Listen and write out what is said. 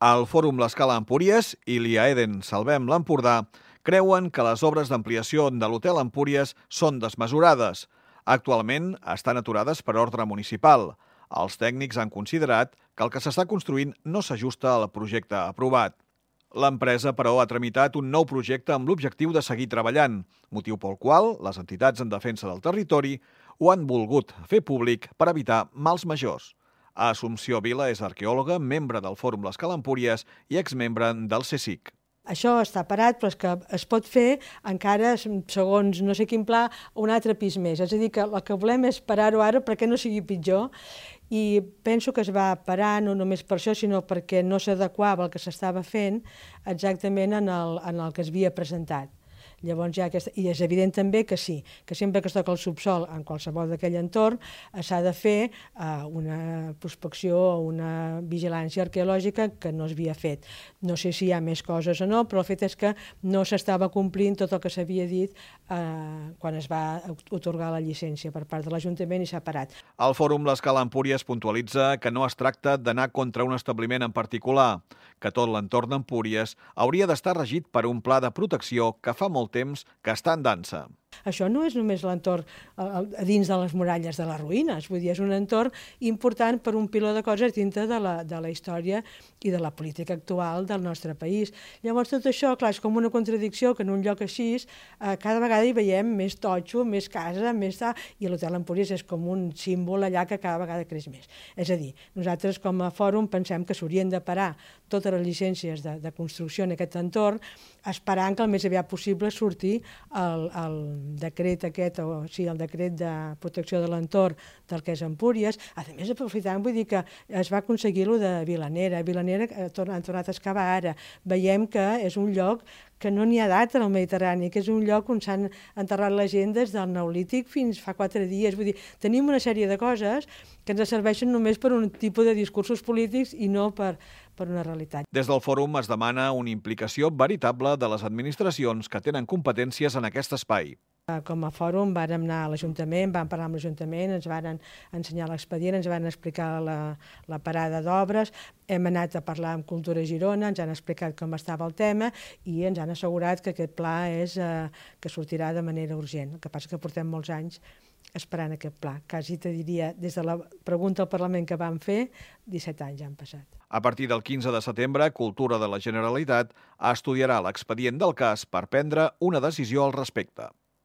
El Fòrum L'Escala Empúries i l'IAEDEN Salvem l'Empordà creuen que les obres d'ampliació de l'Hotel Empúries són desmesurades. Actualment estan aturades per ordre municipal. Els tècnics han considerat que el que s'està construint no s'ajusta al projecte aprovat. L'empresa, però, ha tramitat un nou projecte amb l'objectiu de seguir treballant, motiu pel qual les entitats en defensa del territori ho han volgut fer públic per evitar mals majors. Assumpció Vila és arqueòloga, membre del Fòrum L'Escala Empúries i exmembre del CSIC. Això està parat, però és que es pot fer encara, segons no sé quin pla, un altre pis més. És a dir, que el que volem és parar-ho ara perquè no sigui pitjor, i penso que es va parar no només per això, sinó perquè no s'adequava el que s'estava fent exactament en el que es havia presentat. Llavors i és evident també que sí, que sempre que es toca el subsol en qualsevol d'aquell entorn s'ha de fer una prospecció o una vigilància arqueològica que no s'havia fet. No sé si hi ha més coses o no, però el fet és que no s'estava complint tot el que s'havia dit quan es va atorgar la llicència per part de l'Ajuntament i s'ha parat. El Fòrum L'Escala Empúries puntualitza que no es tracta d'anar contra un establiment en particular, que tot l'entorn d'Empúries hauria d'estar regit per un pla de protecció que fa molt temps que està en dansa. Això no és només l'entorn a dins de les muralles de les ruïnes, vull dir, és un entorn important per un piló de coses dintre de la història i de la política actual del nostre país. Llavors tot això, clar, és com una contradicció que en un lloc així cada vegada hi veiem més totxo, més casa, i l'Hotel Empúries és com un símbol allà que cada vegada creix més. És a dir, nosaltres com a fòrum pensem que s'haurien de parar totes les llicències de construcció en aquest entorn, esperant que el més aviat possible surti el decret aquest, o sigui, el decret de protecció de l'entorn del que és Empúries. A més, aprofitant, vull dir que es va aconseguir-ho de Vilanera. Vilanera han tornat a excavar ara. Veiem que és un lloc que no n'hi ha data en el Mediterrani, que és un lloc on s'han enterrat les gent des del Neolític fins fa 4 dies. Vull dir, tenim una sèrie de coses que ens serveixen només per un tipus de discursos polítics i no per una realitat. Des del fòrum es demana una implicació veritable de les administracions que tenen competències en aquest espai. Com a fòrum vàrem anar a l'Ajuntament, vam parlar amb l'Ajuntament, ens van ensenyar l'expedient, ens van explicar la parada d'obres, hem anat a parlar amb Cultura Girona, ens han explicat com estava el tema i ens han assegurat que aquest pla que sortirà de manera urgent. El que passa que portem molts anys esperant aquest pla. Quasi te diria, des de la pregunta al Parlament que vam fer, 17 anys ja han passat. A partir del 15 de setembre, Cultura de la Generalitat estudiarà l'expedient del cas per prendre una decisió al respecte.